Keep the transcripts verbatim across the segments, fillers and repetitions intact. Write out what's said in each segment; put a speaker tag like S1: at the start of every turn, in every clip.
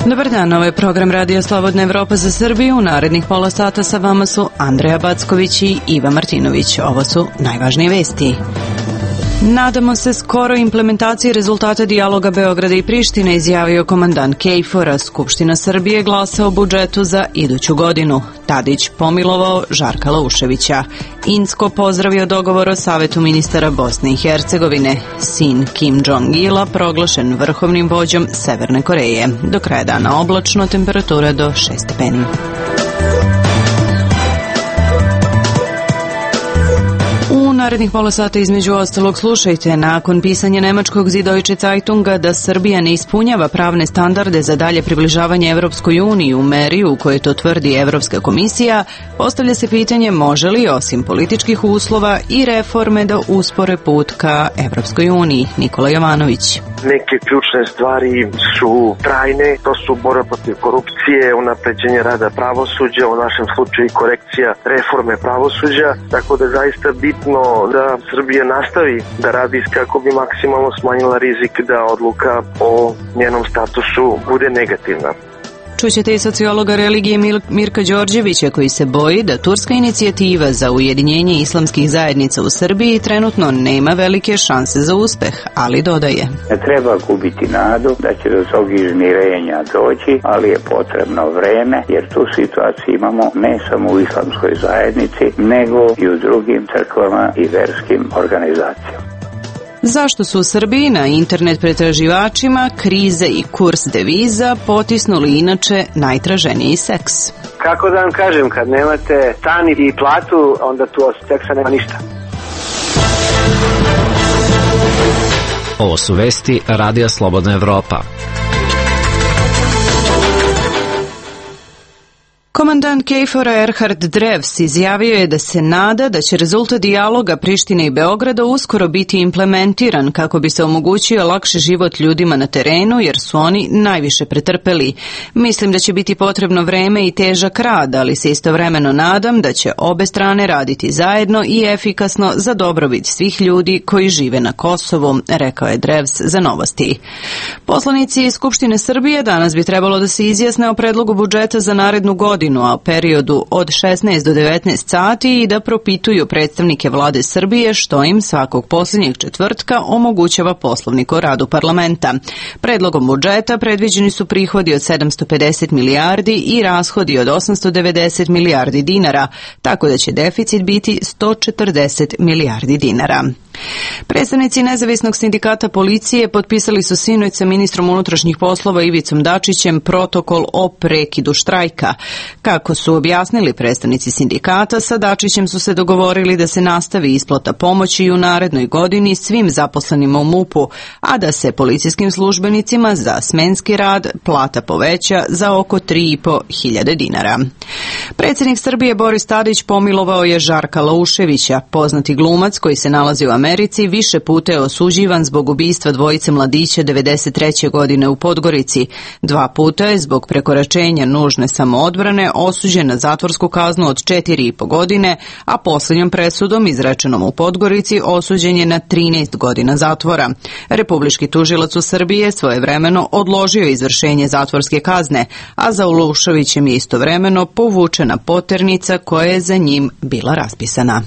S1: Dobar dan, ovo je program Radio Slobodna Evropa za Srbiju. U narednih pola sata sa vama su Andreja Backović i Iva Martinović. Ovo su najvažnije vesti. Nadamo se skoro implementaciji rezultata dijaloga Beograda i Prištine, izjavio komandant KFOR-a. Skupština Srbije glasa o budžetu za iduću godinu. Tadić pomilovao Žarka Lauševića. Incko pozdravio dogovor o Savetu ministara Bosne i Hercegovine. Sin Kim Jong-ila proglašen vrhovnim vođom Severne Koreje. Do kraja dana oblačno, temperatura do šest stepeni. U narednih pola sata između ostalog slušajte, nakon pisanja nemačkog Süddeutsche Zeitunga da Srbija ne ispunjava pravne standarde za dalje približavanje Evropskoj uniji u meri u kojoj to tvrdi Evropska komisija, postavlja se pitanje može li osim političkih uslova i reforme da uspore put ka Evropskoj uniji. Nikola Jovanović.
S2: Neke ključne stvari su trajne, to su borba protiv korupcije, unapređenje rada pravosuđa, u našem slučaju korekcija reforme pravosuđa, tako da je zaista bitno da Srbija nastavi da radi kako bi maksimalno smanjila rizik da odluka o njenom statusu bude negativna.
S1: Čućete i sociologa religije Mirka Đorđevića koji se boji da turska inicijativa za ujedinjenje islamskih zajednica u Srbiji trenutno nema velike šanse za uspeh, ali dodaje.
S3: Ne treba gubiti nadu da će do tog izmirenja doći, ali je potrebno vreme jer tu situaciju imamo ne samo u islamskoj zajednici, nego i u drugim crkvama i verskim organizacijama.
S1: Zašto su u Srbiji na internet pretraživačima krize i kurs deviza potisnuli inače najtraženiji seks?
S4: Kako da vam kažem, kad nemate stan i platu, onda tu od seksa nema ništa.
S5: Ovo su vesti Radija Slobodna Evropa.
S1: Komandant KFOR-a Erhard Drevs izjavio je da se nada da će rezultat dijaloga Prištine i Beograda uskoro biti implementiran kako bi se omogućio lakši život ljudima na terenu jer su oni najviše pretrpeli. Mislim da će biti potrebno vreme i težak rad, ali se istovremeno nadam da će obe strane raditi zajedno i efikasno za dobrobit svih ljudi koji žive na Kosovu, rekao je Drevs za Novosti. Poslanici iz Skupštine Srbije danas bi trebalo da se izjasne o predlogu budžeta za narednu godinu, a u periodu od šesnaest do devetnaest sati i da propituju predstavnike vlade Srbije što im svakog posljednjeg četvrtka omogućava Poslovnik o radu parlamenta. Predlogom budžeta predviđeni su prihodi od sedamsto pedeset milijardi i rashodi od osamsto devedeset milijardi dinara, tako da će deficit biti sto četrdeset milijardi dinara. Predstavnici Nezavisnog sindikata policije potpisali su sinoć sa ministrom unutrašnjih poslova Ivicom Dačićem protokol o prekidu štrajka. Kako su objasnili predstavnici sindikata, sa Dačićem su se dogovorili da se nastavi isplata pomoći i u narednoj godini svim zaposlenima u MUP-u, a da se policijskim službenicima za smenski rad plata poveća za oko tri i po hiljade dinara. Predsjednik Srbije Boris Tadić pomilovao je Žarka Lauševića, poznati glumac koji se nalazi u Americi, više puta je osuđivan zbog ubistva dvojice mladića devedeset treće godine u Podgorici. Dva puta je zbog prekoračenja nužne samoodbrane osuđen na zatvorsku kaznu od četiri i po godine, a posljednjom presudom izrečenom u Podgorici osuđen je na trinaest godina zatvora. Republički tužilac u Srbiji je svojevremeno odložio izvršenje zatvorske kazne, a za Lauševićem je istovremeno povučena poternica koja je za njim bila raspisana.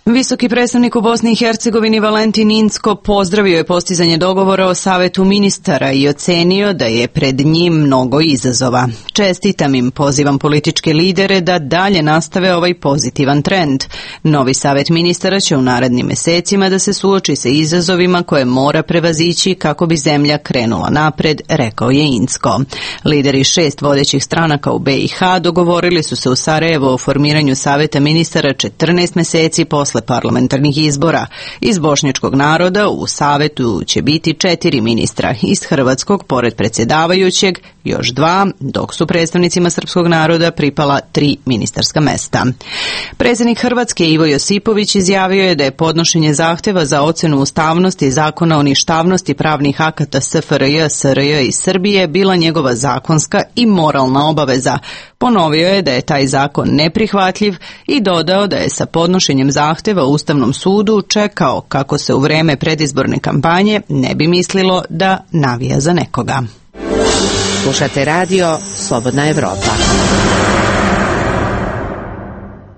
S1: Visoki predstavnik u Bosni i Hercegovini Valentin Incko pozdravio je postizanje dogovora o Savetu ministara i ocenio da je pred njim mnogo izazova. Čestitam im, pozivam političke lidere da dalje nastave ovaj pozitivan trend. Novi Savet ministara će u narednim mesecima da se suoči sa izazovima koje mora prevazići kako bi zemlja krenula napred, rekao je Incko. Lideri šest vodećih stranaka u be i ha dogovorili su se u Sarajevu o formiranju Saveta ministara četrnaest meseci posle parlamentarnih izbora. Iz bošnjačkog naroda u Savetu će biti četiri ministra, iz hrvatskog pored predsjedavajućeg još dva, dok su predstavnicima srpskog naroda pripala tri ministarska mesta. Predsjednik Hrvatske Ivo Josipović izjavio je da je podnošenje zahteva za ocenu ustavnosti zakona o ništavnosti pravnih akata es ef er je, es er je i Srbije bila njegova zakonska i moralna obaveza. Ponovio je da je taj zakon neprihvatljiv i dodao da je sa podnošenjem zahteva Ustavnom sudu čekao kako se u vreme predizborne kampanje ne bi mislilo da navija za nekoga.
S6: Slušate radio Slobodna Evropa.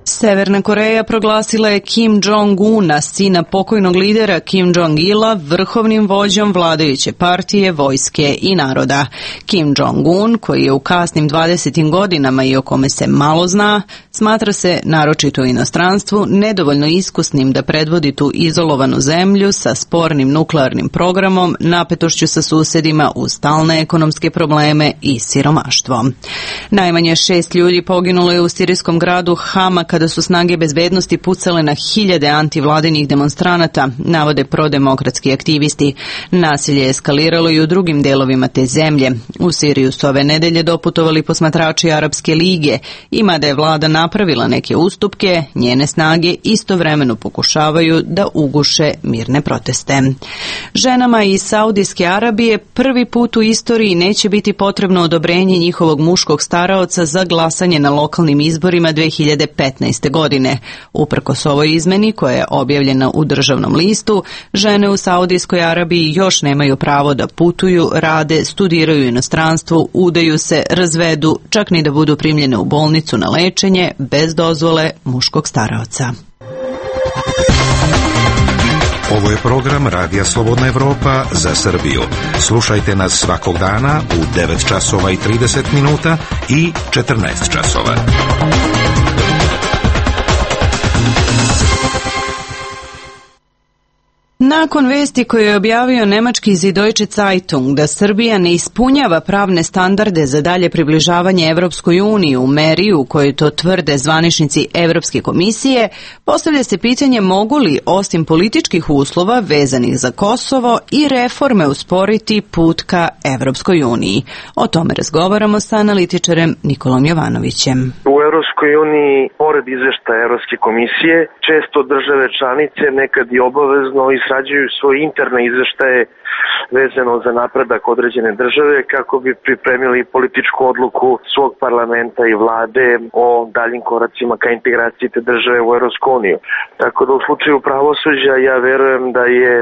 S1: Severna Koreja proglasila je Kim Jong-una, sina pokojnog lidera Kim Jong-ila, vrhovnim vođom vladajuće partije, vojske i naroda. Kim Jong-un, koji je u kasnim dvadesetim godinama i o kome se malo zna, smatra se, naročito u inostranstvu, nedovoljno iskusnim da predvodi tu izolovanu zemlju sa spornim nuklearnim programom, napetošću sa susedima uz stalne ekonomske probleme i siromaštvo. Najmanje šest ljudi poginulo je u sirijskom gradu Hama kada su snage bezbednosti pucale na hiljade antivladinih demonstranata, navode prodemokratski aktivisti. Nasilje je eskaliralo i u drugim delovima te zemlje. U Siriju su ove nedelje doputovali posmatrači Arapske lige i mada je vlada napravila neke ustupke, njene snage istovremeno pokušavaju da uguše mirne proteste. Ženama iz Saudijske Arabije prvi put u istoriji neće biti potrebno odobrenje njihovog muškog staraoca za glasanje na lokalnim izborima dve hiljade petnaeste. godine. Uprkos ovoj izmeni, koja je objavljena u državnom listu, žene u Saudijskoj Arabiji još nemaju pravo da putuju, rade, studiraju u inostranstvu, udaju se, razvedu, čak ni da budu primljene u bolnicu na lečenje bez dozvole muškog staraoca.
S7: Ovo je program Radija Slobodna Evropa za Srbiju. Slušajte nas svakog dana u devet časova i trideset minuta i četrnaest časova.
S1: Nakon vesti koje je objavio nemački Süddeutsche Zeitung da Srbija ne ispunjava pravne standarde za dalje približavanje Evropskoj uniji u meri u kojoj to tvrde zvaničnici Evropske komisije, postavlja se pitanje mogu li, osim političkih uslova vezanih za Kosovo, i reforme usporiti put ka Evropskoj uniji. O tome razgovaramo sa analitičarem Nikolom Jovanovićem.
S2: U Evropskoj uniji, pored izveštaja Evropske komisije, često države članice nekad i obavezno izrađuju svoje interne izveštaje vezano za napredak određene države kako bi pripremili političku odluku svog parlamenta i vlade o daljim koracima ka integraciji te države u Evropsku uniju. Tako da u slučaju pravosuđa ja verujem da je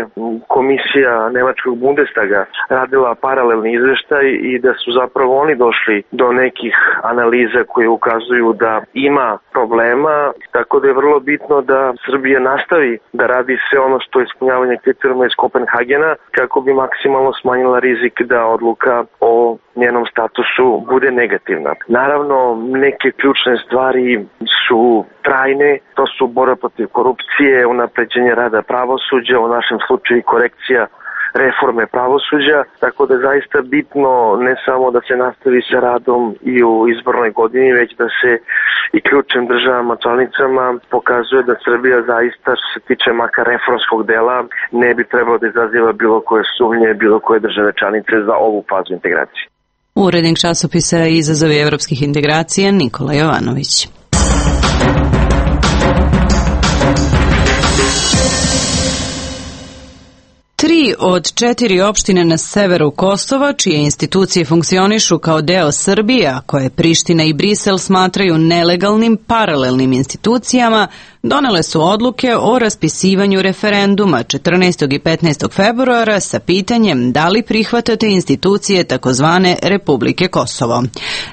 S2: komisija nemačkog Bundestaga radila paralelni izveštaj i da su zapravo oni došli do nekih analiza koje ukazuju da ima problema, tako da je vrlo bitno da Srbija nastavi da radi sve ono što je ispunjavanje kriterijuma iz Kopenhagena kako bi maksimalno smanjila rizik da odluka o njenom statusu bude negativna. Naravno, neke ključne stvari su trajne, to su borba protiv korupcije, unapređenje rada pravosuđa, u našem slučaju korekcija reforme pravosuđa, tako da je zaista bitno ne samo da se nastavi sa radom i u izbornoj godini, već da se i ključnim državama članicama pokazuje da Srbija zaista, što se tiče makar reformskog dela, ne bi trebalo da izaziva bilo koje sumnje, bilo koje države članice za ovu fazu integracije.
S1: Urednik časopisa Izazovi evropskih integracija Nikola Jovanović. Tri od četiri opštine na severu Kosova, čije institucije funkcionišu kao deo Srbije, a koje Priština i Brisel smatraju nelegalnim paralelnim institucijama, donele su odluke o raspisivanju referenduma četrnaestog i petnaestog februara sa pitanjem da li prihvatate institucije takozvane Republike Kosovo.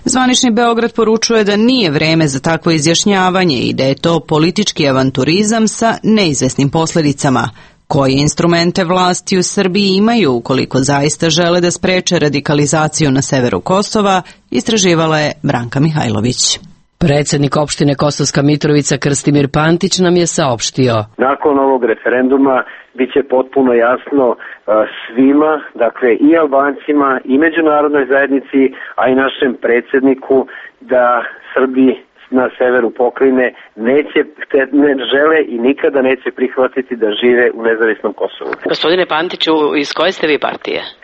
S1: Zvanični Beograd poručuje da nije vreme za takvo izjašnjavanje i da je to politički avanturizam sa neizvesnim posledicama. Koje instrumente vlasti u Srbiji imaju ukoliko zaista žele da spreče radikalizaciju na severu Kosova, istraživala je Branka Mihajlović.
S6: Predsjednik opštine Kosovska Mitrovica Krstimir Pantić nam je saopštio.
S4: Nakon ovog referenduma bit će potpuno jasno svima, dakle i Albancima i međunarodnoj zajednici, a i našem predsjedniku da Srbiji na severu pokrajine neće, ne žele i nikada neće prihvatiti da žive u nezavisnom Kosovu.
S6: Gospodine Pantiću, iz koje ste vi partije?
S4: Uh,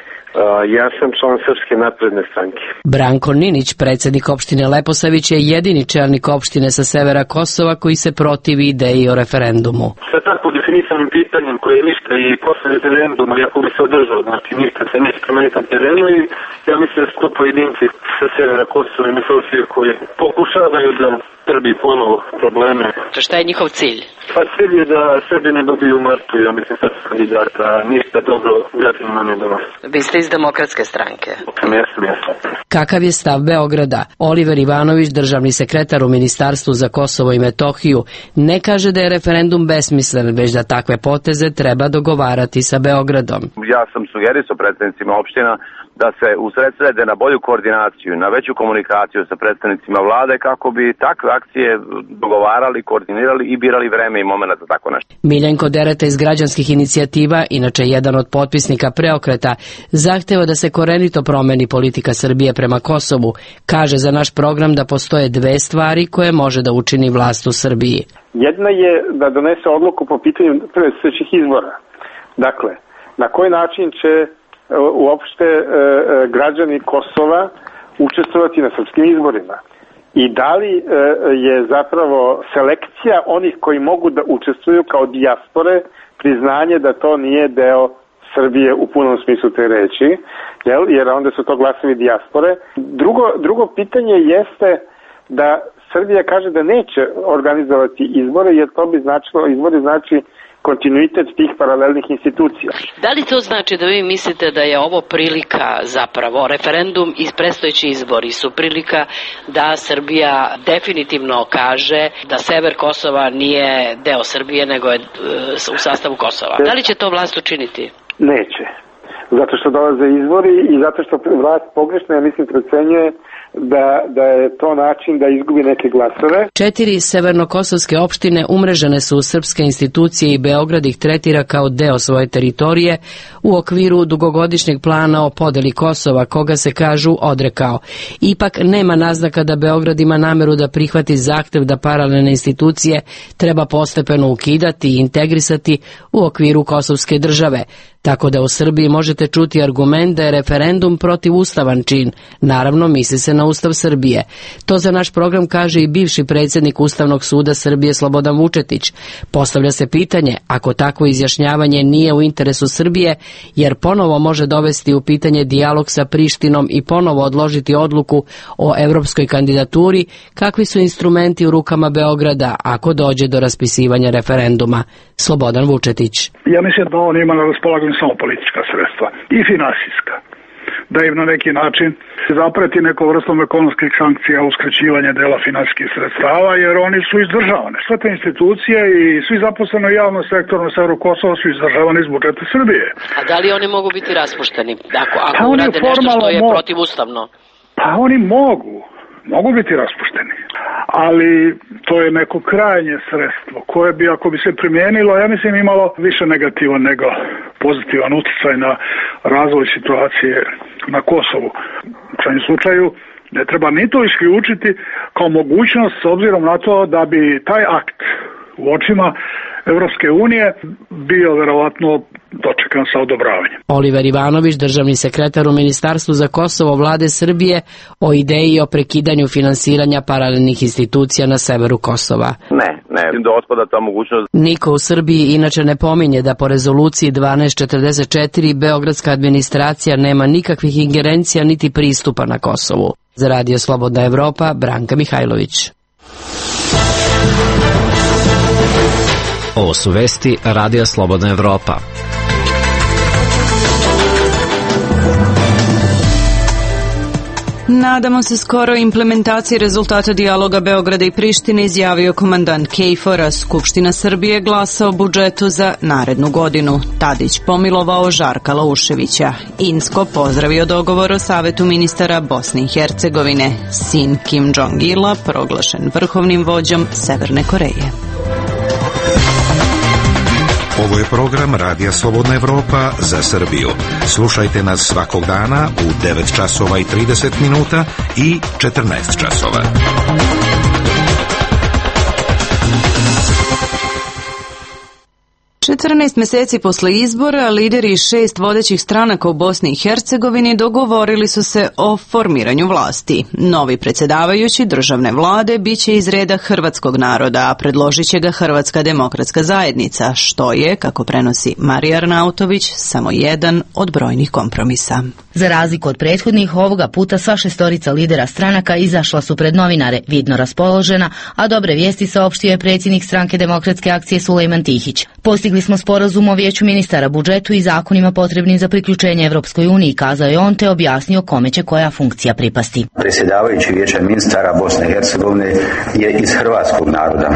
S4: ja sam član Srpske napredne stranke.
S6: Branko Ninić, predsjednik opštine Leposavić, je jedini čelnik opštine sa severa Kosova koji se protivi ideji o referendumu.
S8: Sve tako nedefinisanim pitanjem koje je ništa i posle referenduma, iako bi se održao, znači ništa se neće promeniti na terenu i ja mislim da su to pojedinci sa severa Kosova i Metohije koji pokušavaju da Srbiji ponovo probleme.
S6: To šta je njihov cilj?
S8: Pa cilj je da Srbi ne dobiju u martu, ja mislim sad kandidata, ništa dobro građanima ne donosi.
S6: Vi ste iz Demokratske stranke.
S8: Jesam, jesam.
S6: Kakav je stav Beograda? Oliver Ivanović, državni sekretar u Ministarstvu za Kosovo i Metohiju, ne kaže da je referendum besmislen, već da takve poteze treba dogovarati sa Beogradom.
S9: Ja sam sugerisao predstavnicima opština da se usredsrede na bolju koordinaciju, na veću komunikaciju sa predstavnicima vlade kako bi takve akcije dogovarali, koordinirali i birali vreme i momenat za tako nešto.
S6: Miljenko Dereta iz građanskih inicijativa, inače jedan od potpisnika Preokreta, zahteva da se korenito promeni politika Srbije prema Kosovu. Kaže za naš program da postoje dve stvari koje može da učini vlast u Srbiji.
S10: Jedna je da donese odluku po pitanju predstojećih izbora. Dakle, na koji način će uopšte e, građani Kosova učestvovati na srpskim izborima i da li e, je zapravo selekcija onih koji mogu da učestvuju kao dijaspore priznanje da to nije deo Srbije u punom smislu te reči, jel? Jer onda su to glasovi dijaspore. Drugo, drugo pitanje jeste da Srbija kaže da neće organizovati izbore, jer to bi značilo, izbori znači kontinuitet tih paralelnih institucija.
S6: Da li to znači da vi mislite da je ovo prilika, zapravo referendum i predstojeći izbori su prilika da Srbija definitivno kaže da sever Kosova nije deo Srbije nego je u sastavu Kosova? Da li će to vlast učiniti?
S10: Neće. Zato što dolaze izbori i zato što vlast pogrešno, ja mislim, procenjuje da, da je to način da izgubi neke glasove.
S6: Četiri severnokosovske opštine umrežene su u srpske institucije i Beograd ih tretira kao deo svoje teritorije u okviru dugogodišnjeg plana o podeli Kosova, koga se kažu odrekao. Ipak nema naznaka da Beograd ima nameru da prihvati zahtev da paralelne institucije treba postepeno ukidati i integrisati u okviru kosovske države. Tako da u Srbiji možete čuti argument da je referendum protivustavan čin. Naravno, misli se na Ustav Srbije. To za naš program kaže i bivši predsjednik Ustavnog suda Srbije Slobodan Vučetić. Postavlja se pitanje, ako takvo izjašnjavanje nije u interesu Srbije, jer ponovo može dovesti u pitanje dijalog sa Prištinom i ponovo odložiti odluku o evropskoj kandidaturi, kakvi su instrumenti u rukama Beograda ako dođe do raspisivanja referenduma. Slobodan Vučetić.
S11: Ja mislim da on ima na raspolaganju samo politička sredstva i finansijska. Da im na neki način zapreti nekom vrstom ekonomskih sankcija, uskraćivanje dela finansijskih sredstava, jer oni su izdržavane. Sve te institucije i svi zaposleni u javnom sektoru na severu Kosova su izdržavani iz budžeta Srbije.
S6: A da li oni mogu biti raspušteni ako, ako pa urade nešto što je protivustavno?
S11: Pa oni mogu. Mogu biti raspušteni, ali to je neko krajnje sredstvo koje bi, ako bi se primijenilo, ja mislim imalo više negativan nego pozitivan utjecaj na razvoj situacije na Kosovu. U krajnjem slučaju ne treba ni to isključiti kao mogućnost s obzirom na to da bi taj akt u očima Evropske unije bio verovatno dočekan sa odobravanjem.
S6: Oliver Ivanović, državni sekretar u Ministarstvu za Kosovo vlade Srbije, o ideji o prekidanju finansiranja paralelnih institucija na severu Kosova.
S9: Ne, ne, da otpada ta mogućnost.
S6: Niko u Srbiji inače ne pominje da po rezoluciji dvanaest četrdeset četiri beogradska administracija nema nikakvih ingerencija niti pristupa na Kosovu. Za Radio Slobodna Evropa, Branka Mihajlović.
S5: Ovo su vesti Radija Slobodna Evropa.
S1: Nadamo se skoro implementaciji rezultata dijaloga Beograda i Prištine, izjavio komandant KFOR-a. Skupština Srbije glasa o budžetu za narednu godinu. Tadić pomilovao Žarka Lauševića. Insko pozdravio dogovor o Savetu ministara Bosne i Hercegovine. Sin Kim Jong-ila proglašen vrhovnim vođom Severne Koreje.
S7: Ovo je program Radija Slobodna Evropa za Srbiju. Slušajte nas svakog dana u devet časova i trideset minuta i četrnaest časova.
S1: četrnaest mjeseci posle izbora, lideri šest vodećih stranaka u Bosni i Hercegovini dogovorili su se o formiranju vlasti. Novi predsjedavajući državne vlade biće iz reda hrvatskog naroda, a predložit će ga Hrvatska demokratska zajednica, što je, kako prenosi Marija Arnautović, samo jedan od brojnih kompromisa.
S12: Za razliku od prethodnih, ovoga puta sva šestorica lidera stranaka izašla su pred novinare, vidno raspoložena, a dobre vijesti saopštio je predsjednik stranke Demokratske akcije Sulejman Tihić. Postigli smo sporazum o vijeću ministara, budžetu i zakonima potrebnim za priključenje Evropskoj uniji, kazao je on, te objasnio kome će koja funkcija pripasti.
S3: Predsjedavajući vijeća ministara Bosne i Hercegovine je iz hrvatskog naroda,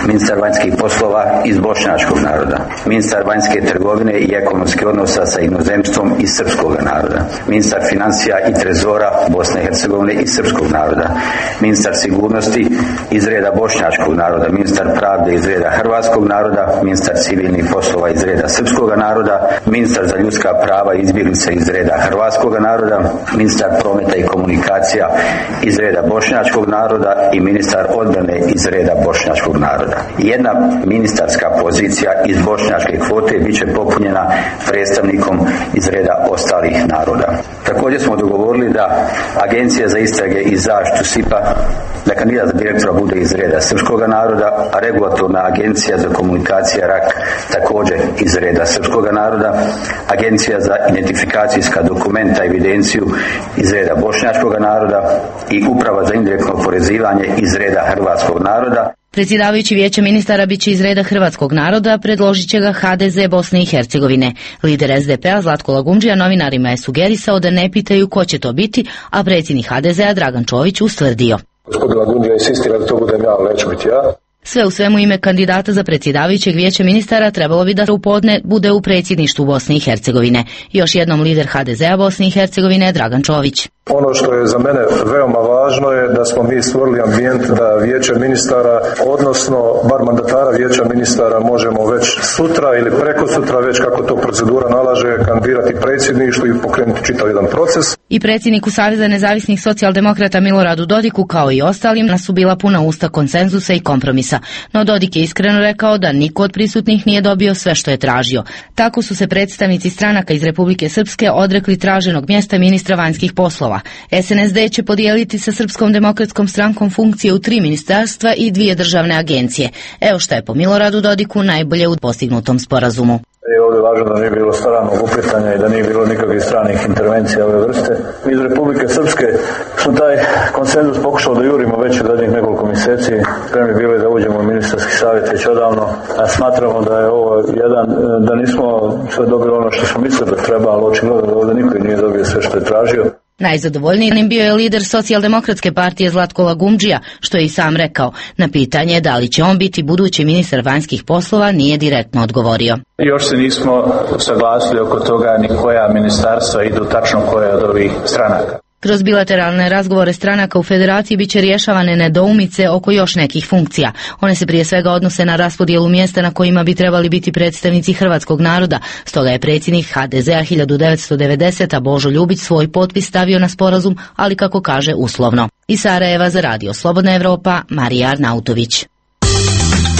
S3: ministar vanjskih poslova iz bošnjačkog naroda, ministar vanjske trgovine i ekonomskih odnosa sa inozemstvom iz srpskog naroda, ministar financija i trezora Bosne i Hercegovine iz srpskog naroda, ministar sigurnosti iz reda bošnjačkog naroda, ministar pravde iz reda hrvatskog naroda, ministar civilnih poslova iz reda srpskog naroda, ministar za ljudska prava i izbjeglice iz reda hrvatskog naroda, ministar prometa i komunikacija iz reda bošnjačkog naroda i ministar odbrane iz reda bošnjačkog naroda. Jedna ministarska pozicija iz bošnjačke kvote bit će popunjena predstavnikom iz reda ostalih naroda. Također smo dogovorili da Agencija za istrage i zaštitu S I P A, da kandidat za direktora bude iz reda srpskog naroda, a regulatorna agencija za komunikacije R A K također iz reda srpskog naroda, Agencija za identifikacijska dokumenta i evidenciju iz reda bošnjačkog naroda i Uprava za indirektno oporezivanje iz reda hrvatskog naroda.
S12: Predsjedavajući vijeća ministara biće iz reda hrvatskog naroda, predložit će ga H D Z Bosne i Hercegovine. Lider S D P-a Zlatko Lagundžija novinarima je sugerisao da ne pitaju ko će to biti, a predsjednik H D Z-a Dragan Čović ustvrdio.
S13: Gospodin Lagundžija insistira da to budem ja, ali neću biti ja.
S12: Sve u svemu ime kandidata za predsjedavajućeg vijeća ministara trebalo bi da u podne bude u predsjedništvu Bosne i Hercegovine. Još jednom lider H D Z-a Bosne i Hercegovine je Dragan Čović.
S13: Ono što je za mene veoma važno je da smo mi stvorili ambijent da vijeće ministara, odnosno bar mandatara vijeća ministara, možemo već sutra ili preko sutra, već kako to procedura nalaže, kandidirati predsjedništvu i pokrenuti čitav jedan proces.
S12: I predsjedniku Saveza nezavisnih socijaldemokrata Miloradu Dodiku, kao i ostalim, su bila puna usta konsenzusa i kompromisa. No Dodik je iskreno rekao da niko od prisutnih nije dobio sve što je tražio. Tako su se predstavnici stranaka iz Republike Srpske odrekli traženog mjesta ministra vanjskih poslova. S N S D će podijeliti sa Srpskom demokratskom strankom funkcije u tri ministarstva i dvije državne agencije. Evo šta je po Miloradu Dodiku najbolje u postignutom sporazumu.
S13: Je ovdje važno da nije bilo stranog uplitanja i da nije bilo nikakvih stranih intervencija ove vrste. Mi iz Republike Srpske smo taj konsenzus pokušali da jurimo već u zadnjih nekoliko mjeseci. Spremni bili da uđemo u ministarski savjet već odavno. A smatramo da je ovo jedan, da nismo sve dobili ono što smo mislili da treba, ali očigledno da ovdje niko nije dobio sve što je tražio.
S12: Najzadovoljnijim bio je lider Socijaldemokratske partije Zlatko Lagundžija, što je i sam rekao. Na pitanje da li će on biti budući ministar vanjskih poslova nije direktno odgovorio.
S14: Još se nismo saglasili oko toga ni koja ministarstva idu tačno koja od ovih stranaka.
S12: Kroz bilateralne razgovore stranaka u federaciji biće rješavane nedoumice oko još nekih funkcija. One se prije svega odnose na raspodjelu mjesta na kojima bi trebali biti predstavnici hrvatskog naroda. Stoga je predsjednik H D Z-a hiljadu devetsto devedesete. Božo Ljubić svoj potpis stavio na sporazum, ali kako kaže uslovno. Iz Sarajeva za Radio Slobodna Evropa, Marija Arnautović.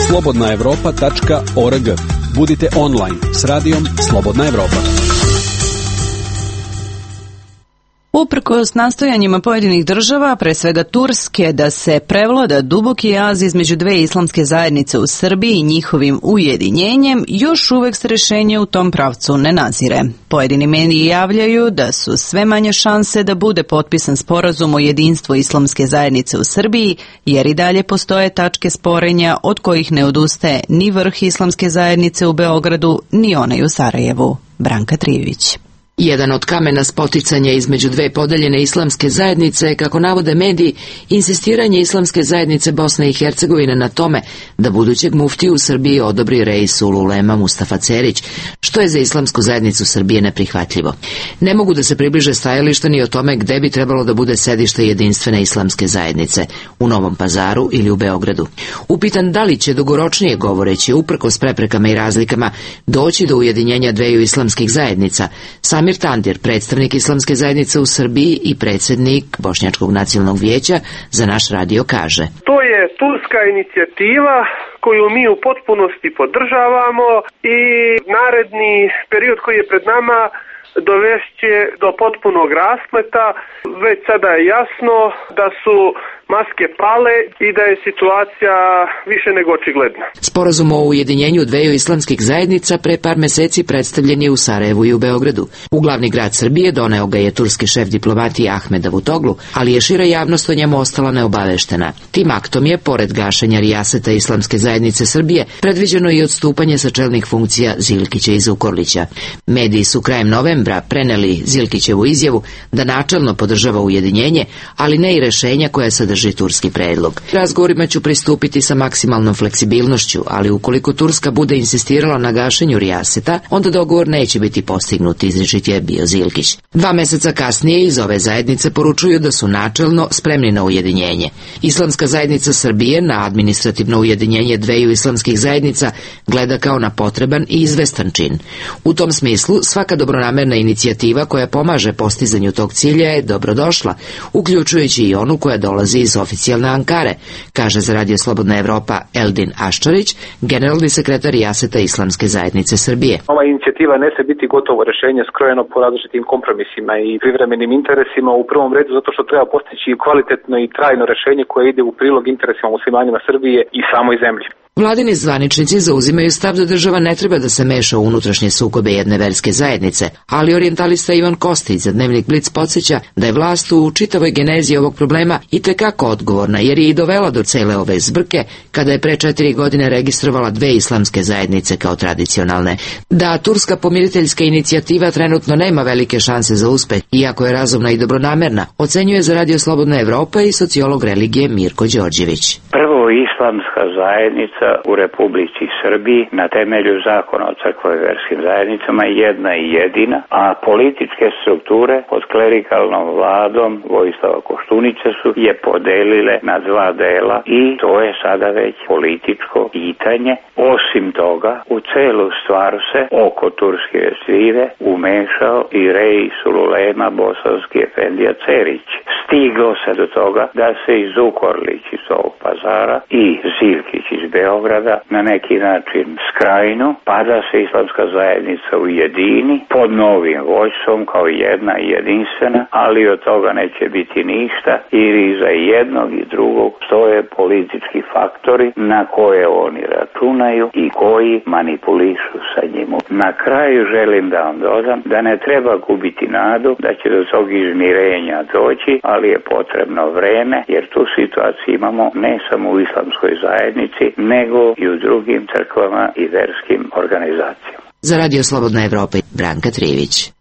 S15: slobodna evropa tačka org. Budite online s radijom Slobodna Evropa.
S1: Uprkos nastojanjima pojedinih država, pre svega Turske, da se prevlada duboki jaz između dve islamske zajednice u Srbiji i njihovim ujedinjenjem, još uvek se rješenje u tom pravcu ne nazire. Pojedini mediji javljaju da su sve manje šanse da bude potpisan sporazum o jedinstvu islamske zajednice u Srbiji, jer i dalje postoje tačke sporenja od kojih ne odustaje ni vrh islamske zajednice u Beogradu, ni onaj u Sarajevu. Branka Trijević.
S6: Jedan od kamena spoticanja između dve podeljene islamske zajednice je, kako navode mediji, insistiranje islamske zajednice Bosne i Hercegovine na tome da budućeg muftiju u Srbiji odobri Reisul Ulema Mustafa Cerić, što je za islamsku zajednicu Srbije neprihvatljivo. Ne mogu da se približe stajališta ni o tome gde bi trebalo da bude sedište jedinstvene islamske zajednice, u Novom Pazaru ili u Beogradu. Upitan da li će dugoročnije govoreći, uprkos preprekama i razlikama, doći do ujedinjenja dveju islamskih zajednica, Samir Tandir, predstavnik islamske zajednice u Srbiji i predsjednik Bošnjačkog nacionalnog vijeća, za naš radio kaže:
S16: To je turska inicijativa koju mi u potpunosti podržavamo i naredni period koji je pred nama dovešće do potpunog raspleta. Već sada je jasno da su maske pale i da je situacija više nego očigledna.
S17: Sporazum o ujedinjenju dveju islamskih zajednica pre par meseci predstavljen je u Sarajevu i u Beogradu. U glavni grad Srbije doneo ga je turski šef diplomatije Ahmed Davutoglu, ali je šira javnost o njemu ostala neobaveštena. Tim aktom je, pored gašenja rijaseta Islamske zajednice Srbije, predviđeno i odstupanje sa čelnih funkcija Zilkića i Zukorlića. Mediji su krajem novembra preneli Zilkićevu izjavu da načelno podržava ujedinjenje, ali ne i rešenja koja sadrži turski predlog. Razgovorima ću pristupiti sa maksimalnom fleksibilnošću, ali ukoliko Turska bude insistirala na gašenju rijaseta, onda dogovor neće biti postignut, izričit je bio Zilkić. Dva meseca kasnije iz ove zajednice poručuju da su načelno spremni na ujedinjenje. Islamska zajednica Srbije na administrativno ujedinjenje dveju islamskih zajednica gleda kao na potreban i izvestan čin. U tom smislu, svaka dobronamerna inicijativa koja pomaže postizanju tog cilja je dobrodošla, uključujući i onu koja dolazi iz oficijalne Ankare, kaže za Radio Slobodna Evropa Eldin Aščarić, generalni sekretar rijaseta Islamske zajednice Srbije.
S18: Ova inicijativa ne se biti gotovo rešenje skrojeno po različitim kompromisima i privremenim interesima, u prvom redu zato što treba postići kvalitetno i trajno rešenje koje ide u prilog interesima muslimanima Srbije i samoj zemlji.
S17: Vladini zvaničnici zauzimaju stav da država ne treba da se meša u unutrašnje sukobe jedne verske zajednice, ali orijentalista Ivan Kostić za Dnevnik Blic podsjeća da je vlast u čitavoj genezi ovog problema itekako odgovorna, jer je i dovela do cele ove zbrke kada je pre četiri godine registrovala dve islamske zajednice kao tradicionalne. Da turska pomiriteljska inicijativa trenutno nema velike šanse za uspeh, iako je razumna i dobronamerna, ocenjuje za Radio Slobodna Evropa i sociolog religije Mirko Đorđević.
S3: Prvo, islamska zajednica u Republici Srbiji na temelju zakona o crkvoj verskim zajednicama jedna i jedina, a političke strukture pod klerikalnom vladom Vojislava Koštunice su je podelile na dva dela i to je sada već političko pitanje. Osim toga, u celu stvar se oko turske svive umešao i rej Sululema bosanski efendija Cerić. Stiglo se do toga da se i Zukorlić iz ovog Pazara i Zilkić iz Beograda na neki način skrajnu, pa da se islamska zajednica ujedini pod novim vođstvom kao jedna i jedinstvena, ali od toga neće biti ništa, jer iza jednog i drugog stoje politički faktori na koje oni računaju i koji manipulišu sa njim. Na kraju želim da vam dodam da ne treba gubiti nadu da će do tog izmirenja doći, ali je potrebno vreme, jer tu situaciju imamo ne samo u islamskoj zajednici, nego i u drugim crkvama i verskim organizacijama.
S17: Za Radio Slobodna Evropa, Branka Trivić.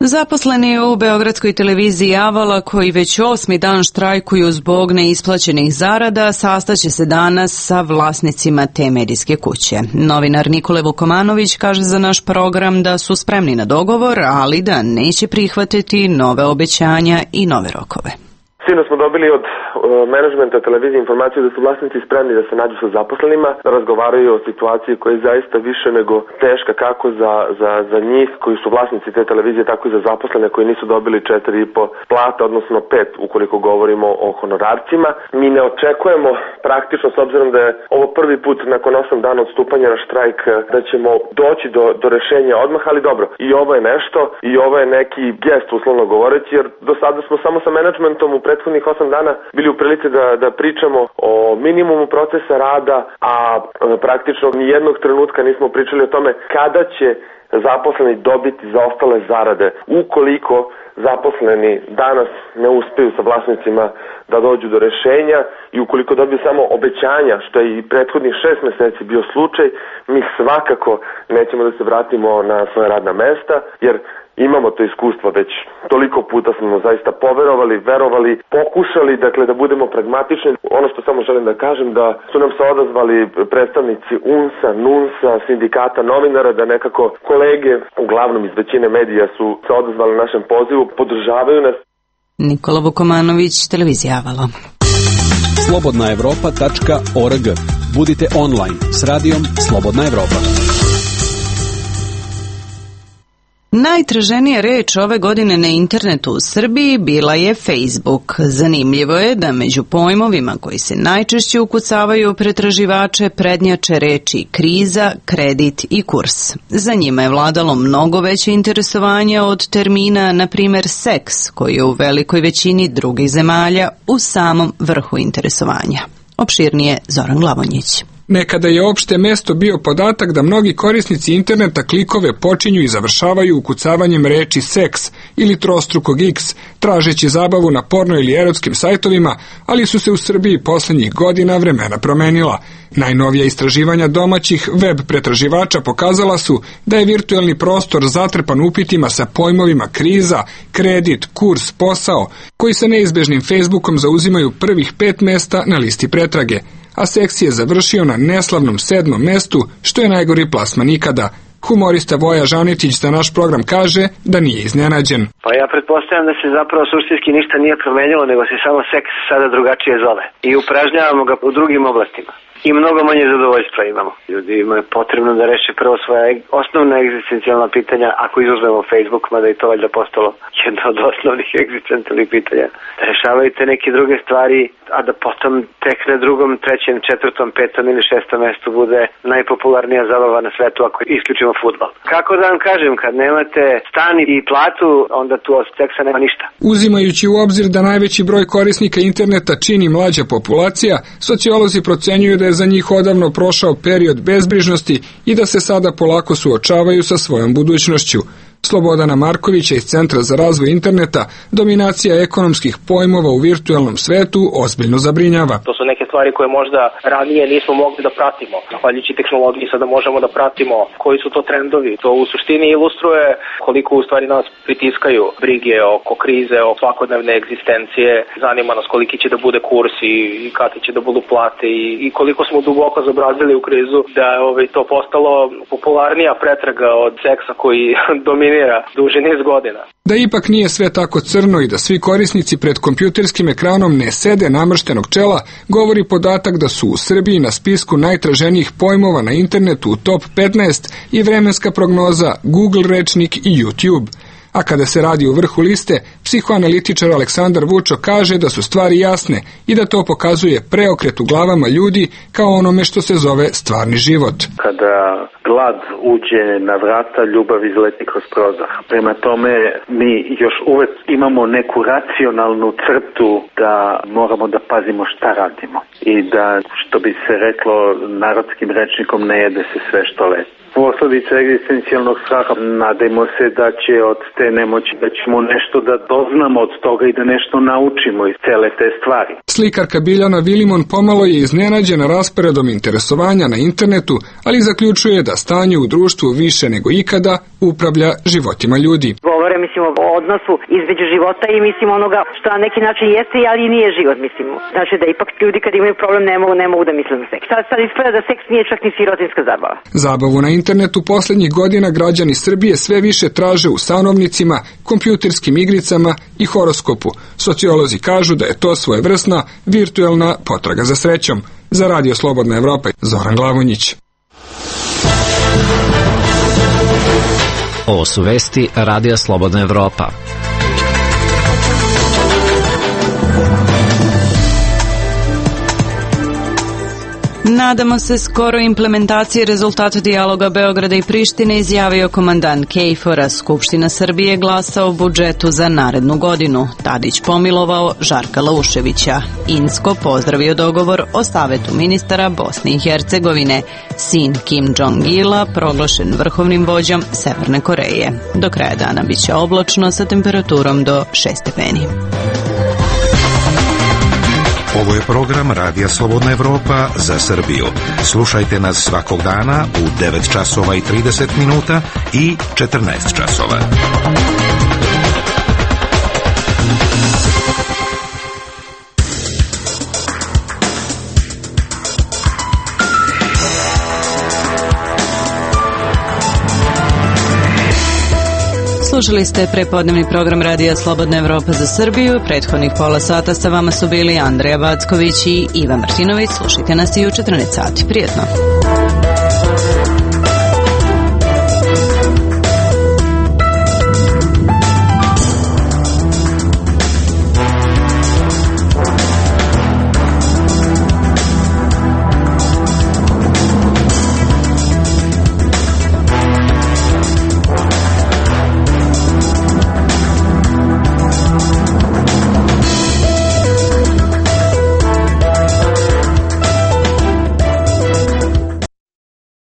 S1: Zaposleni u Beogradskoj televiziji Avala, koji već osmi dan štrajkuju zbog neisplaćenih zarada, sastaće se danas sa vlasnicima te medijske kuće. Novinar Nikole Vukomanović kaže za naš program da su spremni na dogovor, ali da neće prihvatiti nove obećanja i nove rokove.
S2: Sino smo dobili od menadžmenta televizije informaciju da su vlasnici spremni da se nađu sa zaposlenima, da razgovaraju o situaciji koja je zaista više nego teška kako za, za, za njih koji su vlasnici te televizije, tako i za zaposlene koji nisu dobili četiri i po plata, odnosno pet ukoliko govorimo o honorarcima. Mi ne očekujemo praktično, s obzirom da je ovo prvi put nakon osam dana od stupanja na štrajk, da ćemo doći do, do rešenja odmah, ali dobro, i ovo je nešto, i ovo je neki gest uslovno govoreći, jer do sada smo samo sa menadžmentom u prethodnih osam dana bili u prilici da, da pričamo o minimumu procesa rada, a praktično nijednog trenutka nismo pričali o tome kada će zaposleni dobiti zaostale zarade. Ukoliko zaposleni danas ne uspeju sa vlasnicima da dođu do rešenja i ukoliko dobiju samo obećanja, što je i prethodnih šest meseci bio slučaj, mi svakako nećemo da se vratimo na svoje radna mesta, jer imamo to iskustvo, već toliko puta smo zaista poverovali, verovali, pokušali, dakle, da budemo pragmatični. Ono što samo želim da kažem, da su nam se odazvali predstavnici U N S A, N U N S A, sindikata novinara, da nekako kolege, uglavnom iz većine medija, su se odazvali našem pozivu, podržavaju nas.
S1: Nikola Vukomanović, televizija Avala.
S15: slobodna evropa tačka org. Budite online s radijom Slobodna Evropa.
S1: Najtraženija reč ove godine na internetu u Srbiji bila je Facebook. Zanimljivo je da među pojmovima koji se najčešće ukucavaju u pretraživače prednjače reči kriza, kredit i kurs. Za njima je vladalo mnogo veće interesovanje od termina, na primjer seks, koji je u velikoj većini drugih zemalja u samom vrhu interesovanja. Opširnije Zoran Glavonjić.
S19: Nekada je opšte mesto bio podatak da mnogi korisnici interneta klikove počinju i završavaju ukucavanjem reči seks ili trostrukog X, tražeći zabavu na porno ili erotskim sajtovima, ali su se u Srbiji poslednjih godina vremena promenila. Najnovija istraživanja domaćih web pretraživača pokazala su da je virtuelni prostor zatrpan upitima sa pojmovima kriza, kredit, kurs, posao, koji sa neizbežnim Facebookom zauzimaju prvih pet mesta na listi pretrage, a seks je završio na neslavnom sedmom mestu, što je najgori plasman ikada. Humorista Voja Žanetić za naš program kaže da nije iznenađen.
S4: Pa ja pretpostavljam da se zapravo suštinski ništa nije promenilo, nego se samo seks sada drugačije zove. I upražnjavamo ga u drugim oblastima. I mnogo manje zadovoljstva imamo. Ljudi imaju potrebno da reše prvo svoja osnovna egzistencijalna pitanja, ako izuzmemo Facebook, mada i to valjda postalo jedno od osnovnih egzistencijalnih pitanja. Da rešavaju te neke druge stvari, a da potom tek na drugom, trećem, četvrtom, petom ili šestom mestu bude najpopularnija zabava na svetu ako isključimo fudbal. Kako da vam kažem, kad nemate stan i platu, onda tu od seksa nema ništa.
S19: Uzimajući u obzir da najveći broj korisnika interneta čini mlađa populacija, sociolozi procenjuju da je za njih odavno prošao period bezbrižnosti i da se sada polako suočavaju sa svojom budućnošću. Slobodana Markovića iz Centra za razvoj interneta, dominacija ekonomskih pojmova u virtualnom svetu ozbiljno zabrinjava.
S20: To su neke stvari koje možda ranije nismo mogli da pratimo. Zahvaljujući tehnologiji sada možemo da pratimo koji su to trendovi. To u suštini ilustruje koliko u stvari nas pritiskaju brige oko krize, o svakodnevne egzistencije. Zanima nas koliki će da bude kurs i, i kakve će da budu plate i, i koliko smo duboko zabrazili u krizu da je ovaj, to postalo popularnija pretraga od seksa koji dominira duže niz godina.
S19: Da ipak nije sve tako crno i da svi korisnici pred kompjuterskim ekranom ne sede namrštenog čela, govori podatak da su u Srbiji na spisku najtraženijih pojmova na internetu u top petnaest i vremenska prognoza Google rečnik i YouTube. A kada se radi u vrhu liste, psihoanalitičar Aleksandar Vučo kaže da su stvari jasne i da to pokazuje preokret u glavama ljudi kao onome što se zove stvarni život.
S21: Kada glad uđe na vrata, ljubav izleti kroz prozor. Prema tome, mi još uvek imamo neku racionalnu crtu da moramo da pazimo šta radimo i da, što bi se reklo narodskim rečnikom, ne jede se sve što leti. Posledica egzistencijalnog straha, nadajmo se da će od te nemoći, da ćemo nešto da doznamo od toga i da nešto naučimo iz cele te stvari.
S19: Slikarka Biljana Vilimon pomalo je iznenađena rasporedom interesovanja na internetu, ali zaključuje da stanje u društvu više nego ikada upravlja životima ljudi.
S22: Govore, mislim, o odnosu između života i, mislim, onoga što na neki način jeste, ali nije život, mislim. Znači da ipak ljudi kad imaju problem ne mogu, ne mogu da misle na seks. Sad, sad ispada da seks nije čak ni sirotinska zabava.
S19: Zabavu na internetu poslednjih godina građani Srbije sve više traže u stanovnicima, kompjuterskim igricama i horoskopu. Sociolozi kažu da je to svojevrsna virtuelna potraga za srećom. Za Radio Slobodna Evropa, Zoran Glavonjić.
S5: Ovo su vesti Radija Slobodna Evropa.
S1: Nadamo se skoro implementaciji rezultata dijaloga Beograda i Prištine, izjavio komandant KFOR-a. Skupština Srbije glasa o budžetu za narednu godinu. Tadić pomilovao Žarka Lauševića. Insko pozdravio dogovor o Savetu ministara Bosne i Hercegovine. Sin Kim Jong-ila proglašen vrhovnim vođom Severne Koreje. Do kraja dana biće oblačno sa temperaturom do šest stepeni.
S7: Ovo je program Radija Slobodna Evropa za Srbiju. Slušajte nas svakog dana u devet časova i trideset minuta i četrnaest časova.
S1: Slušali ste prepodnevni program Radija Slobodna Evropa za Srbiju. Prethodnih pola sata sa vama su bili Andreja Vacković i Iva Martinović. Slušajte nas i u četrnaest sati. Prijetno.